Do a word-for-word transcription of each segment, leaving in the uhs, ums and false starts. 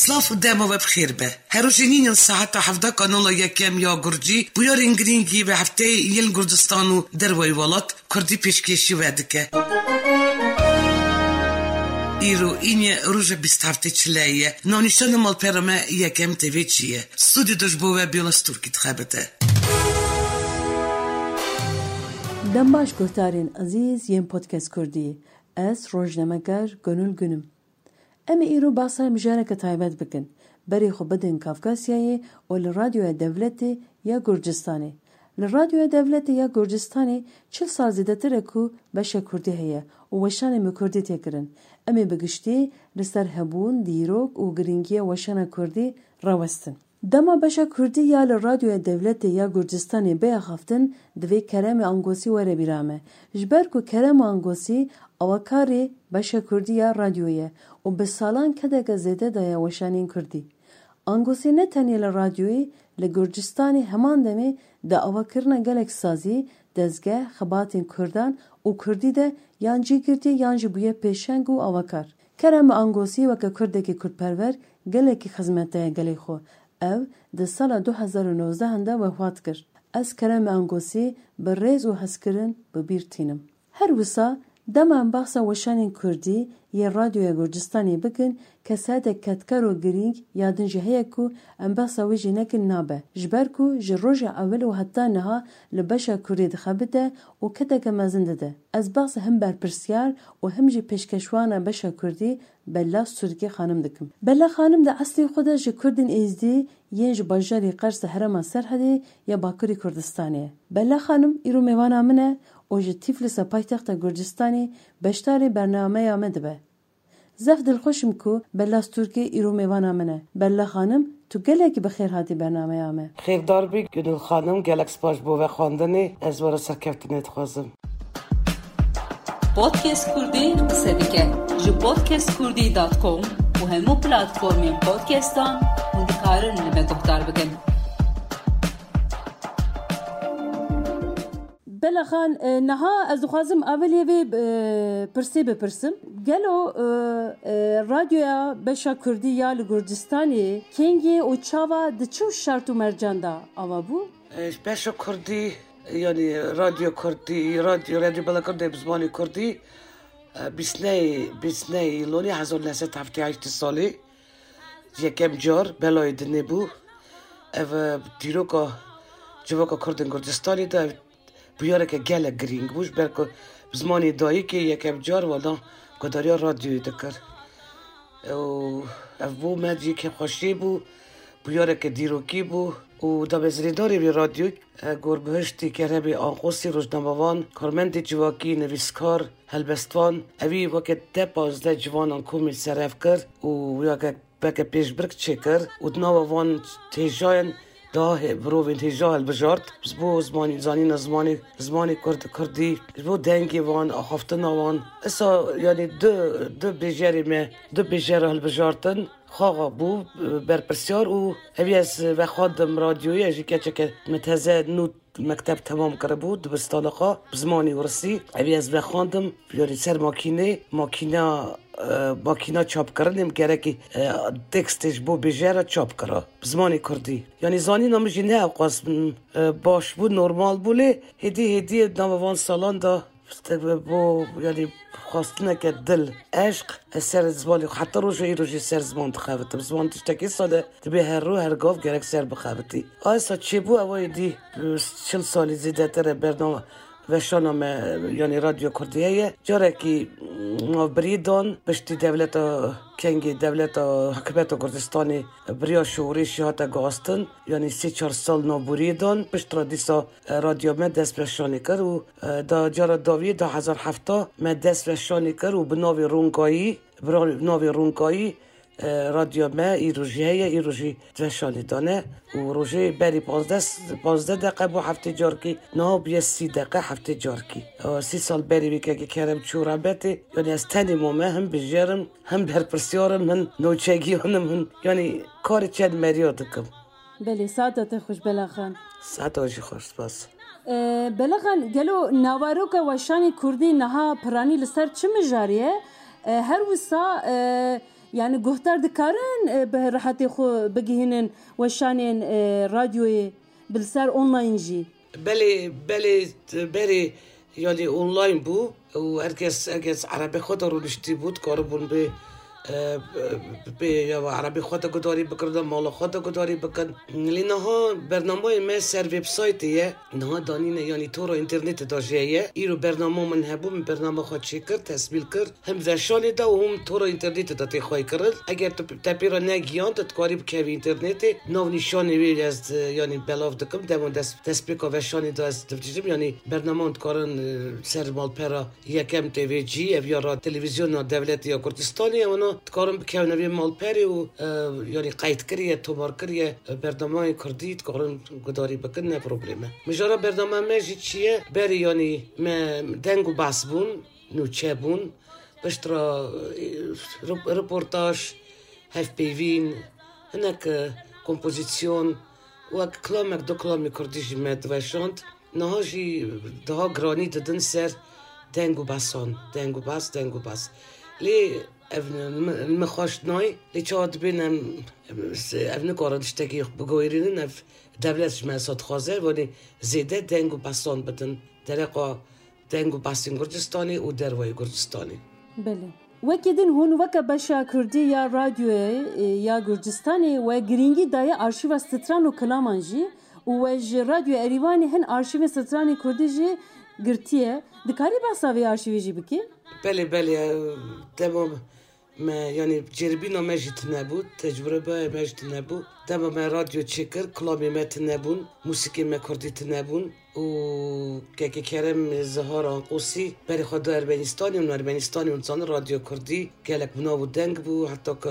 Silav û dema we bi xêr be. Her rojê nînin saeta hevdeh kanala yekem ya Gurcî, bûyerên girîngî bi hefteyê yên Gurcistan û dervayî welat Kurdî pêşkêşî we dike. Îro înye roja bîst heftê çileyê ye. Navnîşana malpera me yekem T V çi ye. Stûdyoda ji bo we Biyala Stûrkî dixebite. Dem baş guhdarên ezîz yên Podcast Kurdî. Ez rojnameger Gönül Gün im. Em ê îro behsa mijareke taybet bikin. Berê xwe bidin Kafkasyayê û li Radyoya Dewletê ya Gurcistanê. Li Radyoya Dewletê ya Gurcistanê çil sal zêdetir e ku beşa Kurdî heye û weşanên bi Kurdî tê kirin. Em ê bi giştî li ser hebûn, dîrok û girîngiya weşana Kurdî rawestin. Dema beşa Kurdî ya li Radyoya Dewletê ya Gurcistanê bê axaftin, divê Keremê Angosî were bîra me. Ji ber ku Kerem Angosî awakarê beşa Kurdî ya radyoyê ye û bi salan kedeke zêde daye weşanên Kurdî. Angosî ne tenê li radyoyê, li Gurcistanê heman demê di avakirina gelek sazî, dezgeh, xebatên Kurdan û Kurdî de yan cî girtiye yan jî bûye pêşeng û awakar. Kerem Angosî weke Kurdekî Kurdperwer gelekî xizmet daye gelê xwe. Ew di sala du hezar û nozdeh de wefat kir. Ez Kerem Angosî bi rêz û hezkirin bi bîr tînim. Her wisa dema em behsa weşanên Kurdî yê Radyoya Gurcistanê bikin, kesayetek kedkar û girîng ya din jî heye ku em behsa wê jî nekin nabe. Ji ber ku ji roja ewil û heta niha li beşa Kurdî dixebite û kedeke mezin dide. Ez behsa hin berpirsyar û him jî pêşkeşwana beşa Kurdî Bella Stûrkê xanim dikim. Bella xanim di eslê xwe de ji Kurdên Êzdî yên ji bajarê Qers di herêma Serhedê ya Bakurê Kurdistanê ye. Bella xanim îro mêvana min e û ji Tîflisa paytexta Gurcistanê beşdarê bernameya me dibe. Zehf dilxweş im ku Bella Stûrkê îro mêvana min e. Bella xanim, tu gelekî bi xêr hatî bernameya me. Xêrdar bî, Gönül xanim, gelek spas ji bo vexwendinê. Ez we re serkeftinê dixwazim. Podcast Kurdî qise dike. Ji podcast kurdî dot com û hemû platformên podcastan hûn dikarin li me guhdar bikin. Bela Xan, e, niha ez dixwazim awilê vê, e, pirsê bipirsim. Gelo, e, e, radyoya beşa Kurdî ya li Gurcistanê kengê û çawa di çi şert û mercan de ava bû? E, beşa Kurdî, yanî Radyo Kurdî, Radyo, Radyo Bela Kurdî bi zimanê Kurdî, e, bîst nehê, bîst nehê Îlonê hezar neh sed heftê heşt salê yekem car belayê dinê bû. Ev, e, dîroka civaka Kurdên Gurcistanê de ev bûyereke gelek girîng bû, ji ber ku bi zimanê dayikê yekem car wada guhdariya radyoyê dikir. Û ev bo me cihê kêfxweşiyê bû, bûyereke dîrokî bû û damezrêndarê vê radyoyê, e, Gorbihiştî Keremê Anqosî, rojnamevan, karmendê civakî, nivîskar, helbestvan, evî weke deh pazdeh ciwanan komî serev kir û weke weke pêşbirk çêkir û di nava van hêjayan daha hê-, mirovên hêja hilbijart. Ji bo zimanî, zanîna zimanê, zimanê kurd, kurdî, ji bo dengê wan, axaftina wan. Esa, yanî du, du bêjerê me, du bêjera hilbijartin, xaxa bû, berpirsyar û evî ez vexwendim radyoyê, ez jî keçeke min teze nû mekteb temam kiribû, dibistana xwe bi zimanê wirsî. Evî ez vexwendim, yanî ser makînê, makîna, e, makîna çapkirinê min gerekî, e, tekstê ji bo bêjera çap kira bi zimanê kurdî. Yanî zanîna min jî ne ewqas, m, e, baş bû, normal bû, lê hêdî hêdî nava van salan de Bo, yanî, xwestineke dil, eşq, ez ser zimanê xwe, heta roja îro jî ser ziman dixebitim. Ziman tiştekî sade dibe her rû, her gav gerek ser bixebitî. Esa çêbû, ew êdî, e, çil salî zêdetir e bername, weşana me, yanî Radyo Kurdî heye. Carekî, m, navbirî dan, piştî dewleta, kengê dewleta, hikûmeta Kurdistanê biriya şorişê hate guhastin. Yanî sê çar sal navbirî dan, piştre dîsa, e, radyo me dest weşanê kir û E, da cara dawiyê du hezar heft me dest weşanê kir û bi navê Rûnkayî, bi ra-, navê Rûnkayî, e, radyo me îro jî heye, îro jî weşanê dane û rojê berî panzdeh, panzdeh deqe bû heftê carkî, niha bûye sî deqe heftê carkî. E, sî sal berî wê kekê Kerem çû rebetê, yanî ez tenê mame, him bijêr im, him berpirsyar im, him nûçegiyan im, him, yanî karê çend meriya dikim. Belê, saeta te xweş Bela Xan. Saeta we jî xweş, spas. E, Bela Xan, gelo naveroka weşanê kurdî niha piranî li ser çi mijarê ye? E, her wisa, e, Yani guhdar dikarin e, bi rehetê xwe bigihînin weşanên e, radyoyê bi li ser online jî? Belê, belê, berê, yanî online bû û herkes, herkes erebê xwe de rûniştî bû, dikaribûn bê, e, bê ya erebê xwe de gudarî bikin, de mala xwe de gudarî bikin. Lê niha bernameyê me ser websaytê ye. Niha danîne, yanî tora înternetê de jî heye. Îro bernama min hebû, min bernama xwe çêkir, tesmîl kir. Him veşanê de û him tora înternetê de tê xwey kirin. Eger tu te pê re negiyan, tu dikarî bikevî înternetê. Nav nîşanê wê ez, e, yanî belav dikim. Dema dest, destpêka veşanê de ez dibijim. Yanî bernaman dikarin, e, ser malpera yekem tê vê cî, ev ya ra televîzyona dewletê ya Kurdistanê, wana dikarin bikevine vê malperê û, e, yanî qeyd kiriye, tomar kiriye, e, bernamayên Kurdî dikarin gudarî bikin, ne probleme. Mijara bernama me jî çi ye? Berê yanî me deng û behs bûn. Nûçe bûn. Piştre, e, rep-, reportaj, hevpeyvîn, hinek, e, kompozîsyon, wek kilamek du kilamê kurdî jî me diweşand. Niha jî daha giranî didin ser deng û besan, deng û bes, deng û bes. Lê ev min, min xweş nayê, lê çawa dibên em, em, ev nikarin tiştekî biguherînin, ev dewlet ji me sa dixwaze, wanê zêde deng û besan bidin. Dereqa deng û behsên Gurcistanê û dervayê Gurcistanê. Belê. Wekî din hûn weke beşa Kurdî ya radyoyê, e, ya Gurcistanê we girîngî daye arşîva stran û kilaman jî û we ji Radyo Erîvanê hin arşîvên stranê Kurdî jî girtiye. Dikarî behsa vê arşîvê jî bikî? Belê, belê, e, dema me, yanî cêrbîna me jî tune bû, tecrûbeya me jî tune bû. Dema me radyo çêkir, kilamê me tune bûn, mûsîkê me kurdî tune bûn. Û kekê Kerem Zihar Anqosî berê xwe da Ermenistanê û Ermenistanê û zanin radyo kurdî gelek bi nav û deng bû, heta ku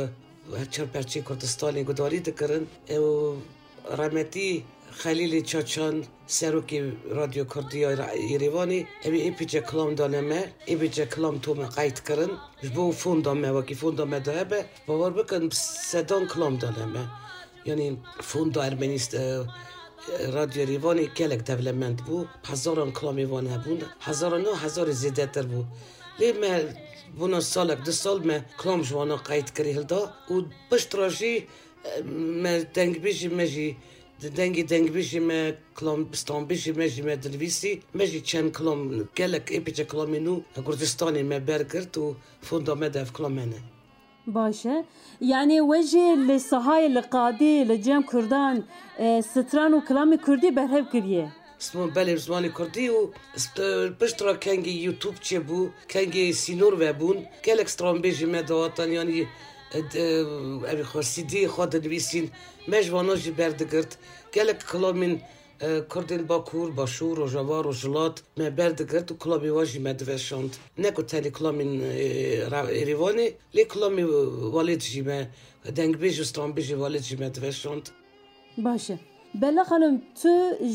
her çar perçeyên Kurdistanê gudarî dikirin. Û Rehmetî Xelîlê Çaçan, serokê Radyo Kurdî ya Ra-, Yêrêvanê, ew ê êpî çe kilam dane me, êpî çe kilam tome qeyd kirin. Ji bo fonda me, wekî fonda me de hebe, bawer bikin, bi sedan kilam dane me. Yanî fonda Ermenîst-, e, e, Radyo Yêrêvanê gelek dewlemend bû. Hezaran kilamê wan hebûn. Hezaran ne, hezarê zêdetir bû. Lê me bona salek, du sal me kilam ji wana qeyd kirî hilda û piştre jî me dengbêjî me jî, dengê dengbêjî me, kilam stranbêjî me jî me dinivîsî, me jî çend kilam gelek êpîçe kilamên nû Gurcistanê me bergirt û fonda me de ev kilam hene. Baş e. Yanî we jî li sahayê, li qadê, li cem kurdan, e, stran û kilamê kurdî berhev kiriye? Sima belê bi zimanê kurdî û sp-, pişt re kengê YouTube çêbû, kengê sînor vebûn, gelek stranbêjî me dihatin, yanî, e, d-, e, evî xwe C D'yê xwe dinivîsîn, me ji vana jî berdigirt. Gelek kilamên, e, kurdên Bakur, Başûr, Rojava, Rojhilat me berdigirt û kilamê wan jî me diveşand. Ne ku tenê kilamên, e, ra-, Êrîvanê, lê kilamê welêt jî me, dengbêj û stranbêjê welêt jî me diveşand. Baş e. Bella Xanim, tu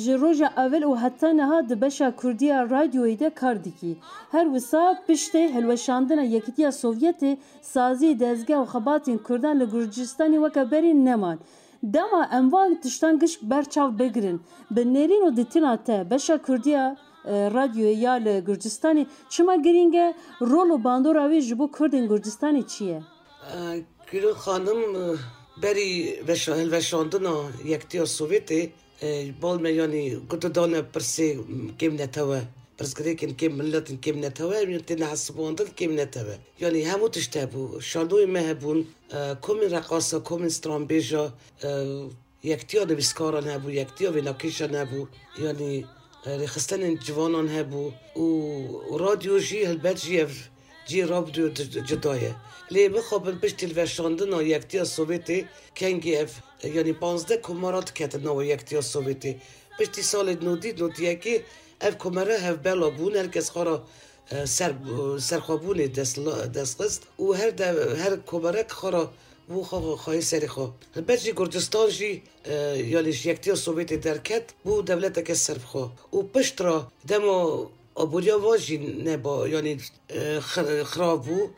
ji roja ewil û heta niha di beşa kurdî ya radyoyê de kar dikî. Her wisa piştê hilweşandina Yekîtiya Sovyetê, sazî, dezgeh û xebatên kurdan li Gurcistanê weke berî neman. Dema em van tiştan gişk ber çav bigirin, bi nêrîn û ditîna te beşa kurdî ya, e, radyoyê ya li Gurcistanê çima girîng e? Rol û bandora wê ji bo kurdên Gurcistanê çi ye? Gulî Xanim, berî veşa-, hilweşandina Yektiya Sovyetê, e, bal me, yanî, ku didane pirsê kêm netewe, pirsgirêkên kêm miletên kêm netewe, em têne hesibandin kêm netewe. Yanî hemû tişt hebû. Şanoyê me hebûn, e, komên reqasa, komên stranbêja, e, Yektiya nivîskaran hebû, yektiya vênakêşan hebû, yanî, e, rêxistinên ciwanan hebû û radyo jî helbet jî ev cihê radyo di-, cuda ye. Lê mixabin piştî hilweşandina Yektiya Sovyetê kengî ev, e, yanî panzdeh komara diketin nava Yektiya Sovyetê. Piştî salê nodî, nodî yekê ev komara hevbela bûn, her kes xwe re e, ser, serxwebûnê dest, dest xist û her de, her komarek xwe re bû xwe, xweyê serê xwe. Helbet jî Gurcistan jî, e, yanî ji Yektiya Sovyetê derket, bû dewleteke serbixwe. Û piştre dema aboriya van jî neba, yanî, e, xir-, xirab bû.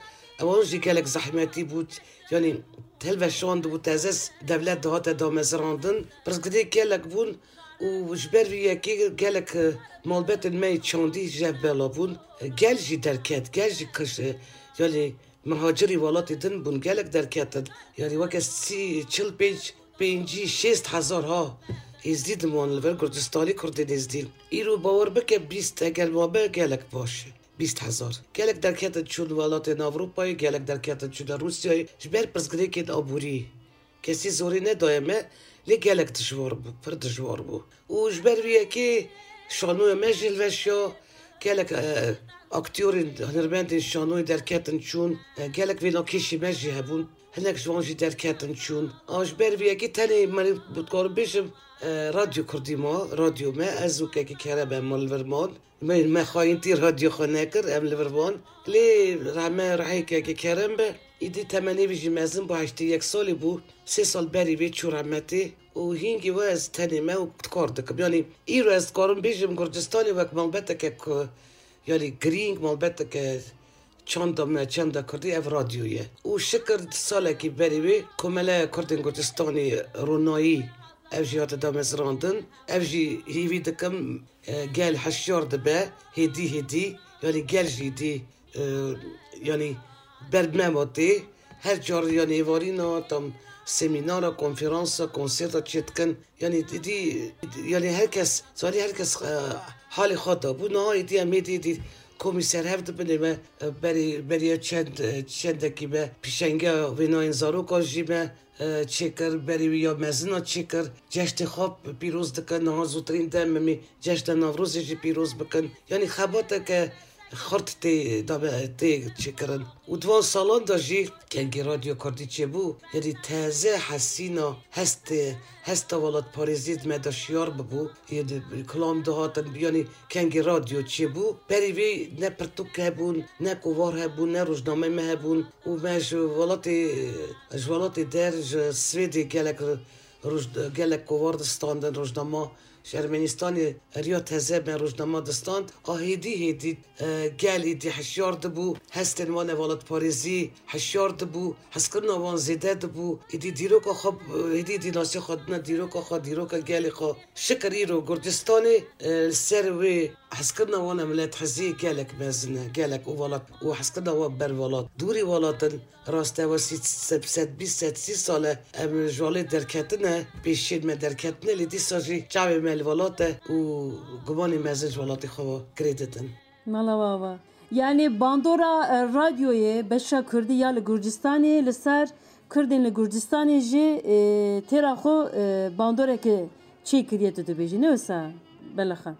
Ewan jî gelek zehmetî bû, yanî hilweşandibû, teze dewlet dihate damezirandin. Pirsgirêk gelek bûn. Û ji ber vî yekê gelek, e, malbetên me yê çandî ji hev bela bûn. E, gel jî derket, gel jî kiş, e, yanî Mihacirî welatê din bûn, gelek derketin. Yanî weke sî, çil pênc, pêncî, şêst hezar ha Êzdî dimon li vir, Kurdistanî, Kurdên Êzdî. Îro bawer bike, bîst eger mabe gelek baş e. Bîst hezar. Gelek derketin çûn welatên Ewropayê, gelek derketin çûne Rûsyayê ji ber pirsgirêkên aborî. Kesî zorê nedaye me, lê gelek dijwar bû, pir dijwar bû. Û ji ber vî yekê şanoya me jî hilweşiya, gelek, e, aktyorên, hunermendên şanoyê derketin çûn, e, gelek vênakêşî me jî hebûn, hinek ji wan jî derketin çûn. A ji ber vî yekê tenê me dikarim bêjim, e, Radyo Kurdî ma, radyo me, ez û Kekî Kerem em ma li vir man. Me, me xayîntî radyo xwe nekir, em li vir van. Lê rehme rehê Kekî Kerem be, îdî temenê wî jî mezin bû, heştê yek salî bû. Sê sal berî vê çû rehmetê û hîngî we ez tenê me û kar dikim. Yanî îro ez dikarim bêjim Gurcistanê wek malbeteke ku, yanî girîng, malbeteke çanda me, çanda Kurdî ev radyo ye. Û şikir salekî berî wê Komeleya Kurdên Gurcistanê Ronayî ev jî hate damezrandin. Ev jî hîvî dikim, e, gel hişyar dibe, hêdî hêdî, yanî gel jî dî, e, yanî ber me ma tê. Her car yanî êvarîna tam semînara, konferansa, konserta çêdikin. Yanî dî, yanî her kes, zanî her kes, e, halê xwe da bû. Niha êdî em êdî, êdî komî ser hev dibin, ê me, e, berî, beriya çend, e, çendekî me pîşengeya wênayên zarokan jî me e, çêkir, berî wî ya mezin a çêkir. Ceştê xwe pîroz dikin, niha zûtirîn dem em ê ceşna Newrozê jî pîroz bikin. Yanî xebateke xurt tê, dabe, tê çêkirin. Û di van salan de jî kengî Radyo Kurdî çêbû, yanî teze hesîna hestê, hesta welatparêzî di me de şiyar bibû. Yê di kilam dihatin, yanî kengî radyo çêbû. Berî vê ne pirtûk hebûn, ne kovar hebûn, ne rojnameyê me hebûn. Û me ji welatê, ji welatê der, ji Swêdê gelek roj-, gelek kovar distandin, rojnama ji Ermenistanê riya teze me rojnama distand. A hêdî hêdî, e, gel êdî hişyar dibû, hestên wan ê welatparêzî hişyar dibû, hezkirina wan zêde dibû. Êdî dîroka xwe, êdî, êdî nasiya xwe dine dîroka xwe, dîroka gelê xwe. Şikir îro Gurcistanê, e, li ser wê hezkirina wan e milethezî gelek mezin e, gelek û welat û hezkirina wan ber welat. Dûrî welat in, rast e, we sî-, se-, sedbîst, sedsî sal e, em ji welê derketine, pêşiyên me derketine, lê dîsa jî çavê me li welat e û gumanê mezin ji welatê xwe ve girê didin. Mala we ava. Yanî bandora, e, radyoyê beşa kurdî ya li Gurcistanê li ser kurdên li Gurcistanê jî, e, têra xwe, e, bandoreke çêkiriye, tu dibêjî, ne wisa? Belaxan.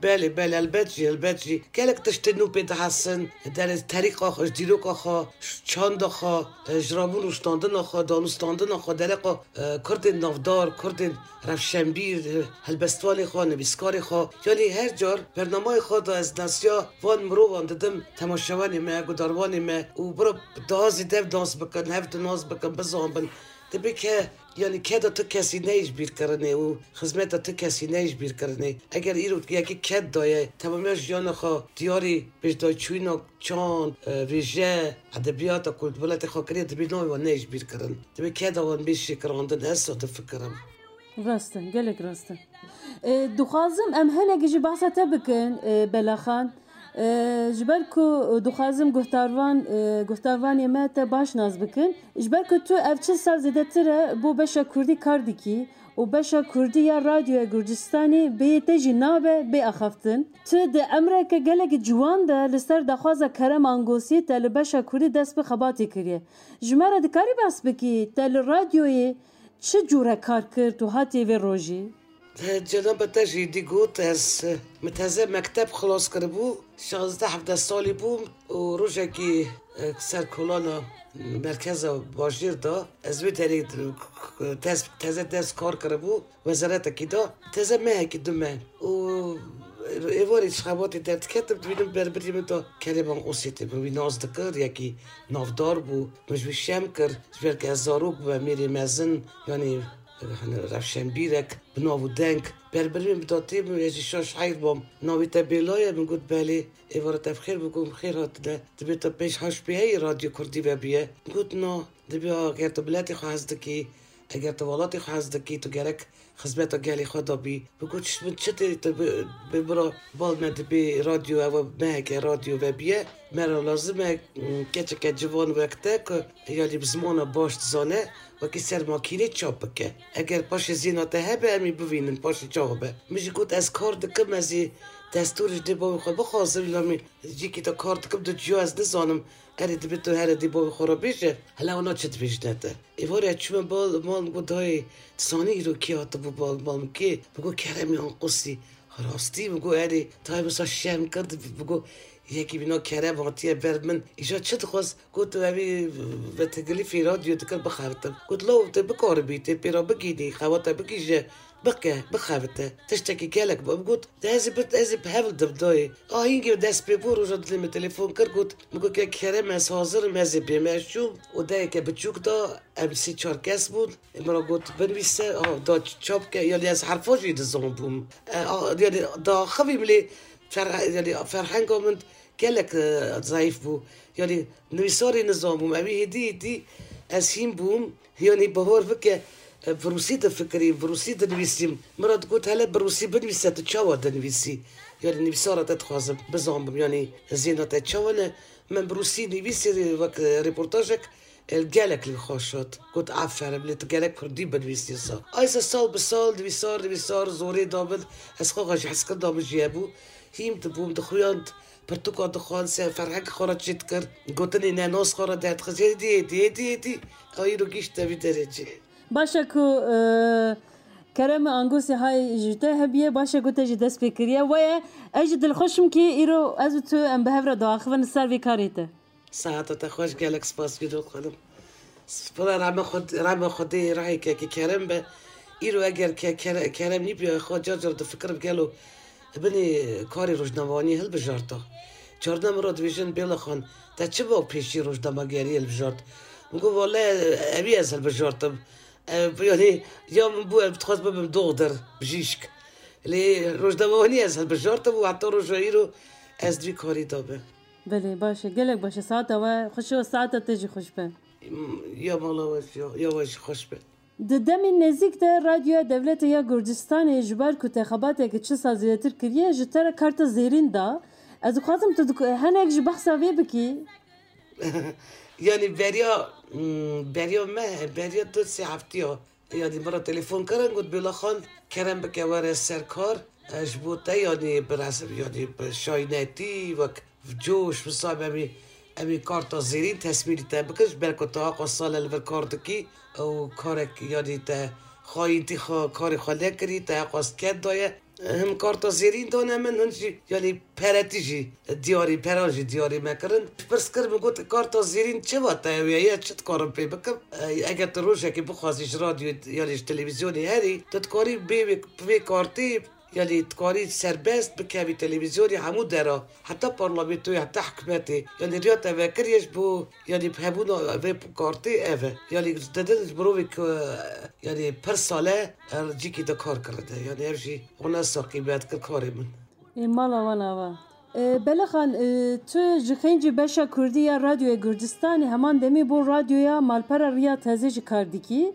Belê, belê, elbet jî, elbet jî. Gelek tiştên nû pê dihesin, derê terîqa xwe, ji dîroka xwe, ji çanda xwe, e, ji rabûn rûştandina xwe, danûstandina xwe, dereqa, e, kurdên navdar, kurdên rewşenbîr, e, helbestvanê xwe, nivîskarê xwe. Yanî her car bernamayê xwe de ez nasiya van mirovan didim, temaşevanê me, gudarvanê me û bira daha zêde nas bikin, hev di nas bikin, bizan bin. Dibê ke, yanî keda tu kesî neyê ji bîrkirinê û xizmeta tu kesî neyê ji bîrkirinê. Eger îro yekî ked daye, temamiya jiyana xwe diyarî pêşdayçûyîna çand, e, wêje, edebiyata ku li welatê xwe kiriye, dibê navê wan neyê ji bîr kirin. Dibê keda wan bê şêkirandin, ez so difikirim. Rast e, gelek rast e. E, dixwazim em hinekî jî behsa te bikin, e, Belaxan. E, ji ber ku dixwazim guhdarvan, e, guhdarvanê me te baş nas bikin. Ji ber ku tu ev çil sal zêdetir e bo beşa kurdî kar dikî û beşa kurdî ya Radyoya Gurcistanê bêyê te jî nabe bê axaftin. Tu di emreke gelekî ciwan de li ser daxwaza Kerem Angosî te li beşa kurdî dest bi xebatê kiriye. Ji me re dikarî behs bikî, te li radyoyê çi cûre kar kir tu hatî vê rojî? Cenaba te jî dî got, ez, min teze mekteb xilas kiribû, şazdeh hevdeh salî bûm û rojekî, e, ser kolana merkeza bajêr de ez wê derê, e, tez-, teze dest kar kiribû, wezaretekî de teze mehekî du me û êvarê ji xebatê derdiketim, dibînim berbirî min de Kerem Angosî tê, min wî nas dikir, yekî navdar bû, min ji wî şem kir, ji ber ku ez zarok bûme, mêrê mezin, yanî, e, hani rewşenbîrek bi nav û deng. Berbirî min bi datê min, ez jî şaş heyr bûm. Navê te Bêla ye? Min got belê. Êvara te bi xêr, min got xêr hatine. Dibê te pêş haş pê heye Radyo Kurdî vebiye? Min got na. Dibê ha, ger tu miletê xwe hez dikî, Eger tu welatê xwe hez dikî, tu gerek xizmeta gelê xwe de bî. Bi got, "Min çi tê, tu bi, bi bira bal me dibê radyo, ew meheke radyo vebiye. Me re lazim e, mm, keçeke ciwan wek te ku, yanî bi zimana baş dizane, wekî ser makînê çap bike. Eger paşê zêna te hebe, em ê bivînin, paşê çawa be." Min jî got, "Ez kar dikim, ez ê destûr ji dê bavê xwe bixwazim, la min cîkî de kar dikim, di ciya ez nizanim." Erê, dibe tu here dê bavê xwe re bêje, hela wana çi dibêjine te? Êvarê ez çûme bal, mal, min got, "Dayê, tu zanî îro kê hatibû bal, mal min kê?" Min got, "Keremê Anqusî." Rastî? Min got, "Erê." Dayê min sa şerm kir, min got, "Yekî bîna Kerem hatiye ber min." Îja çi dixwest? Got, "Tu evî vetegilîfê radyo dikir bixebitim." Got, "Law, tu bikaribî, tê pê re bigînî, xewata bigihîje." Bike, bixebite. Tiştekî gelek bi. Min got, "De ez ê bi, ez ê bi hev didim dayê." A hîngê dest pê bû, roja dilê min telefon kir, got, min got, "Ke Kerem, ez hazir im, ez ê bêm." Ez çûm, odeyeke biçûk da, em sê çar kes bûn. Min re got, "Binivîse." A, da çap ke, yanî ez herfa jî dizanbûm. E, a, yanî daxivîm lê fer-, yanî ferhenga min gelek, e, zayîf bû. Yanî nivîsarê nizanbûm. Evî hêdî hêdî ez hîn bûm. Yanî bawer bike, e, bi rûsî difikirîm, bi rûsî dinivîsîm. Min re digot, "Hele bi rûsî binivîse, tu çawa dinivîsî? Yanî nivîsara te dixwazim bizanbim, yanî zêna te çawa ne?" Min bi rûsî nivîsî wek, e, reportajek, e, gelek li xweş hat. Got, "Aferin, lê tu gelek kurdî binivîsî sa." Ayse sal bi sal, nivîsar, nivîsar, zorê da min, ez xwe xwe ji hezkirina min jî hebû. Hîm dibûm, dixuyand, pirtûka dixwand, se ferhengê xwe re çê dikir, gotinê nenas xwe re derdixist, êdî, êdî, êdî, êdî, a îro gihîşte vî derecê. Baş e ku, e, Kerem Angusî hay ji te hebiye, baş e ku te jî dest pê kiriye. Weye, ez jî dilxweş im kî îro ez û tu em bi hev re diaxivin li ser vê karê te. Saeta te xweş, gelek spas Gülol xanim. Spora rame xwe, rame Xwedê rehê kekê Kerem be. Îro eger ke, Kere-, Kerem nîbûya xwe car car difikirim gelo binê karê rojnamevaniyê hilbijarta. Carna min re dibêjin, "Bêla Xan, te çima pêşî rojnamegeriyê hilbijart?" Min got, "Wele evî ez hilbijartim. E, yanî ya min bû, ez dixwest bibim doxdir, bijîşk. Lê rojnamevaniyê ez hilbijartim û heta roja îro ez di vî karî de me." Belê, baş e, gelek baş e. Saeta we xweş e, saeta te jî xweş be. Ya mala we jî, ya we jî xweş be. Di demên nêzîk de Radyoya Dewletê ya Gurcistanê ji ber ku te xebateke çi sal zêdetir kiriye, ji te re karta zêrîn da. Ez dixwazim tu dik-, hinek ji behsa vê bikî. Yanî beriya, hmm, beriya me, beriya du sê heftiya. Yanî min re telefon kirin, got, "Bêla Xan, kerem bike were ser kar. E, ji bo te, yanî bi res-, yanî bi şaynetî, wek coş, wisa em ê, em ê karta zêrîn tesmîlî te bikin, ji ber ku tu aqas sal e li vir kar dikî û karek, yanî te xayîntî xwe, karê xwe nekirî, te aqas ked daye." Him karta zêrîn dane min, hin jî, yanî peretî jî diyarî, peran jî diyarî me kirin. Pirs kir, min got, "Karta zêrîn çi wate ew ye, ya çi dikarim pê bikim?" E, eger tu rojekê bixwazî ji radyoyê, yanî ji televîzyonê herî, tu dikarî bê wê, bi vê kartê, yanî dikarî serbest bikevî televîzyonê hemû dera, heta parlamentoyê, heta hikûmetê. Yanî riya te vekiriye ji bo, yanî hebûna vê kartê ev e. Yanî didin ji mirovê ku, yanî pir sal e, her cîkî de kar kirine. Yanî ev jî wana sa qîmet kir karê min. Ê, mala wan ava. Ê, Bela Xan, ê, tu ji xêncî beşa Kurdî ya Radyoya Gurcistanê heman demî bo Radyoya Malpera Riya Teze jî kar dikî.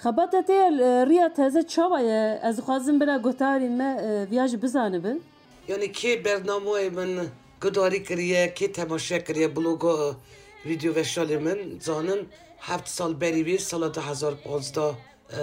Xebata te ya, ê, Riya Teze çawa ye? Ez dixwazim bila guhdarên me, ê, viya jî bizanibin. Yanî kê bernamoyê min guhdarî kiriye, kê temaşe kiriye bloga, vîdeo veşanê min, zanin heft sal berî vê sala du hezar panzdeh, e,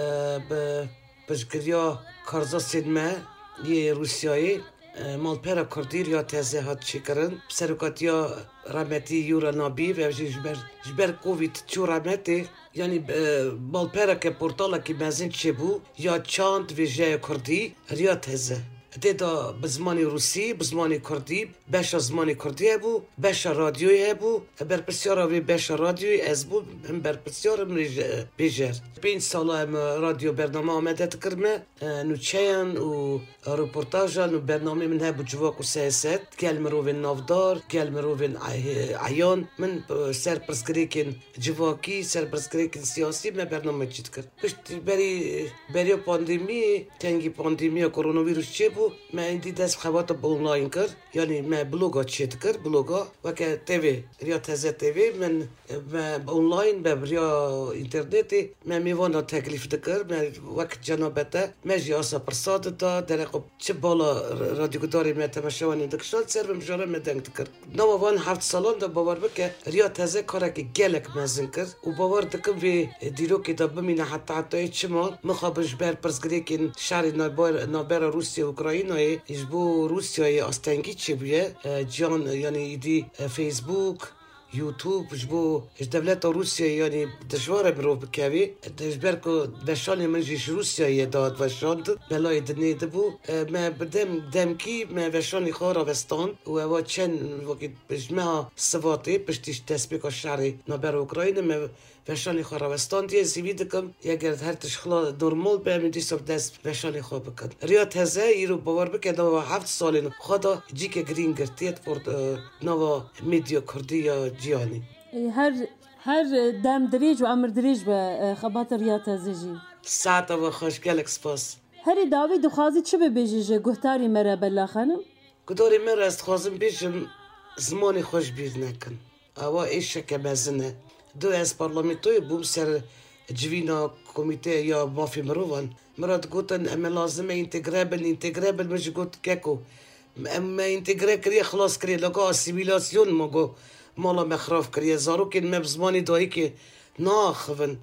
bi piştgiriya karzasên me yê Rûsyayê, e, Malpera Kurdî Riya Teze hat çêkirin. Bi serokatiya rehmetî Yura Nabî ve jî ji ber, ji ber Covid çû rehmetê. Yanî, e, malpereke portalekî mezin çêbû ya çand vêjeya Kurdî, Riya Teze. Tê de bi zimanê Rûsî, bi zimanê Kurdî, beşa zimanê Kurdî hebû, beşa radyoyê hebû. Berpirsyara vê beşa radyoyê ez bûm, him berpirsyarim, rêje-, bêjer. Pênc sala em radyo bername amade dikirme, e, nûçeyan û reportajan û bernameyê min hebû Civak û Siyaset, gel mirovên navdar, gel mirovên e-, eyan. Min, e, ser pirsgirêkên civakî, ser pirsgirêkên siyasî me bername çî dikir. Pişt berî, beriya pandemiyê, tengî pandemiya koronavîrus çêbû, Me êdî dest xebata bi online kir. Yanî me bloga çêdikir, bloga weke T V, Riya Teze T V, min, me online be bi riya înternetê, me mêvana teklîf dikir, me wek cenabete, me jî asa pirsa dida, dereqa çi bala r-, radyogudarê me temaşevanê dikişand, ser bi mijara me deng dikir. Nava van heft salan de bawer bike, Riya Teze karekî gelek mezin kir û bawer dikim vê dîrokê de bimîne heta hetayê çima mixabin ji ber pirsgirêkên şerê navber-, navbera Rûsya û Ukraynayê ji bo Rûsyayê astengî çêbûye. E, ciyan, yanî êdî, e, Facebook, YouTube ji bo ji dewleta Rûsyayê, yanî dijwar e mirov bikevê. Ji ber ku veşanê min jî ji Rûsyayê ye dihat veşandin, belayê dinê dibû. E, me bi dem, demkî me veşanê xwe ravestand û ewa çend wekî ji meha Sivatê piştî ji destpêka şerê navbera Ukraynê me veşanê xwe rawestandiye. Ez hêvî dikim, eger her tişt xila normal be, em ê dîsa bi dest veşanê xwe bikin. Riya Teze îro bawer bike nava heft salên xwe de cîke girîng girtiye di por, e, nava medya kurdî ya cîhanê. Her, her dem dirêj û emir dirêj be, e, xebata Riya Teze jî. Saeta we xweş, gelek spas. Herî dawî dixwazî çi bibêjî ji guhdarî me re Bella Xanim? Guhdarê me re ez dixwazim bêjim, zimanê xwe ji bîr nekin. Ewa êşeke mezin e. Do ez parlamentoyê bûm ser civîna komîteya ya mafê mirovan. Min re digotin, em ê lazim e întegre bin, întegre bin. Min jî got, keko, em me întegre kiriye, xilas kiriye. Laka asîmîlasyon, ma got, mala me xirab kiriye. Zarokên me bi zimanê dayikê naaxivin.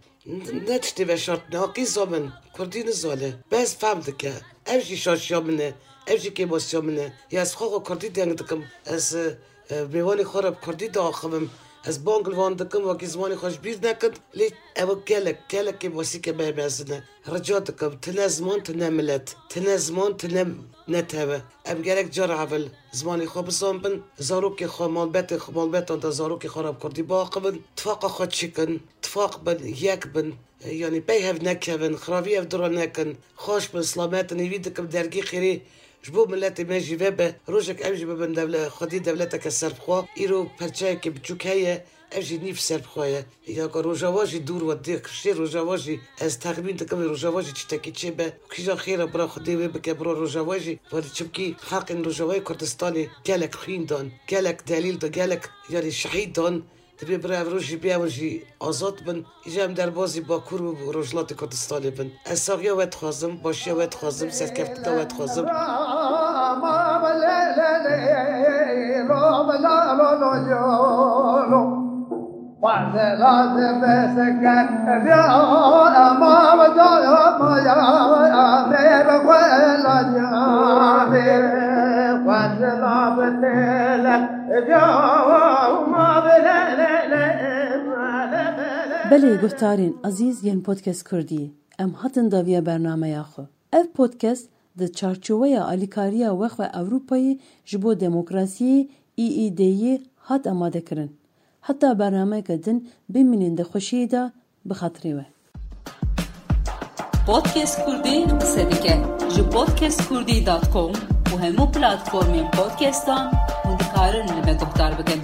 Ne tiştê veşartine, a qîza min, kurdî nizane. Bes fehm dike. Ev jî şaşiya min e. Ev jî kêmasiya min e. Ya ez xwe xwe kurdî deng dikim. Ez, e, mêvanê xwe re bi kurdî diaxivim. Ez bang li wan dikim, wekî zimanê xwe ji bîr nekin. Lê ew gelek, gelek kêmasîke me mezin e. Rica dikim, tine ziman, tine milet. Tine ziman, tine netewe. Em gerek cara evil zimanê xwe bizanbin. Zarokê xwe, malbetê xwe, malbetan de zarokê xwe re bi kurdî biaxivin. Tifaqa xwe çêkin. Tifaq bin, yek bin. E, yanî pey hev nekevin, xiravî hev dû re nekin. Xweş bin, silamet in, hêvî dikim dergî xêrê ji bo miletê me jî vebe. Rojek em jî bibin dewle-, xwedî dewleteke serbixwe. Îro perçeyeke biçûk heye, ev jî nîv serbixwe ye. Ya ku Rojava jî dûr we dê kiştê, Rojava jî ez texmîn dikim, Rojava jî tiştekî çêbe. Kîja xêr e, bira Xwedê wê bike, bira Rojava jî. Welê çimkî xelkên Rojavayê Kurdistanê gelek xwîn dan, gelek delîl dan, gelek, yanî şehîd dan. Divê bira ev roj jî bê, ew jî azad bin. Îja em derbazî Bakur û Rojhilatê Kurdistanê bin. Ez saxiya we dixwazim, başiya we dixwazim, serkeftina we dixwazim. Belê guhdarên ezîz yên Podcast Kurdî, em hatin dawiya bernameya xwe. Ev podcast di çarçoweya alîkariya Wexwe Ewropayê ji bo Demokrasiyê, E E D'yê, hat amadekirin. Heta bernameyeke din bimînin di xweşiyê de, bi xatirê we. Podcast Kurdî qise dike. Ji podcast kurdî dot com û hemû platformên podcastan hûn dikarin li me guhdar bikin.